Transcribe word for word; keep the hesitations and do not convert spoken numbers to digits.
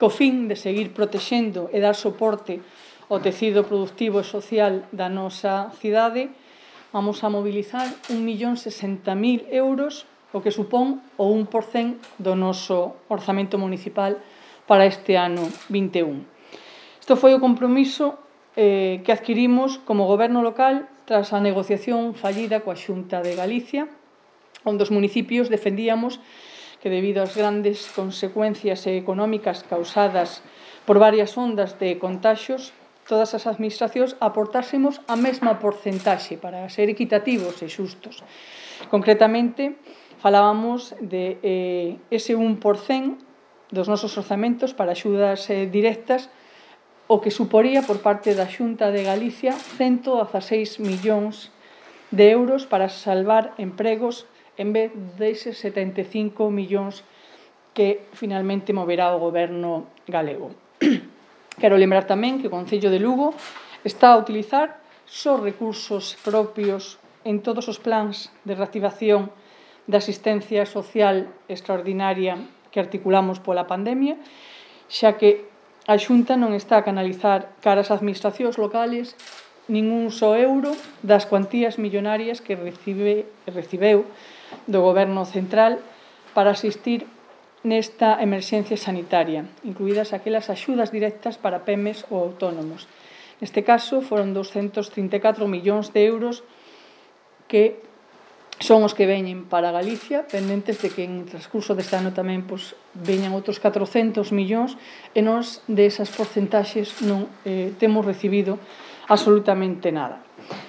co fin de seguir protexendo e dar soporte ao tecido productivo e social da nosa cidade, vamos a mobilizar un millón sesenta mil euros, o que supón o un por cento do noso orzamento municipal para este ano vinte e un. Isto foi o compromiso eh, que adquirimos como Goberno local tras a negociación fallida coa Xunta de Galicia, onde os municipios defendíamos que debido ás grandes consecuencias económicas causadas por varias ondas de contaxios, todas as administracións aportásemos a mesma porcentaxe para ser equitativos e xustos. Concretamente, falábamos de eh, ese un por cento dos nosos orzamentos para axudas eh, directas, o que suporía por parte da Xunta de Galicia ciento dezaseis millóns de euros para salvar empregos en vez deses setenta e cinco millóns que finalmente moverá o Goberno galego. Quero lembrar tamén que o Concello de Lugo está a utilizar só recursos propios en todos os plans de reactivación da asistencia social extraordinaria que articulamos pola pandemia, xa que a Xunta non está a canalizar cara ás administracións locales ningún só euro das cuantías millonarias que recibe, recibeu do Goberno central para asistir nesta emerxencia sanitaria, incluídas aquelas axudas directas para pemes ou autónomos. Neste caso, foron doscentos trinta e catro millóns de euros que son os que veñen para Galicia, pendentes de que en transcurso deste ano tamén pois, veñan outros catrocentos millóns e nós desas porcentaxes non eh, temos recibido absolutamente nada.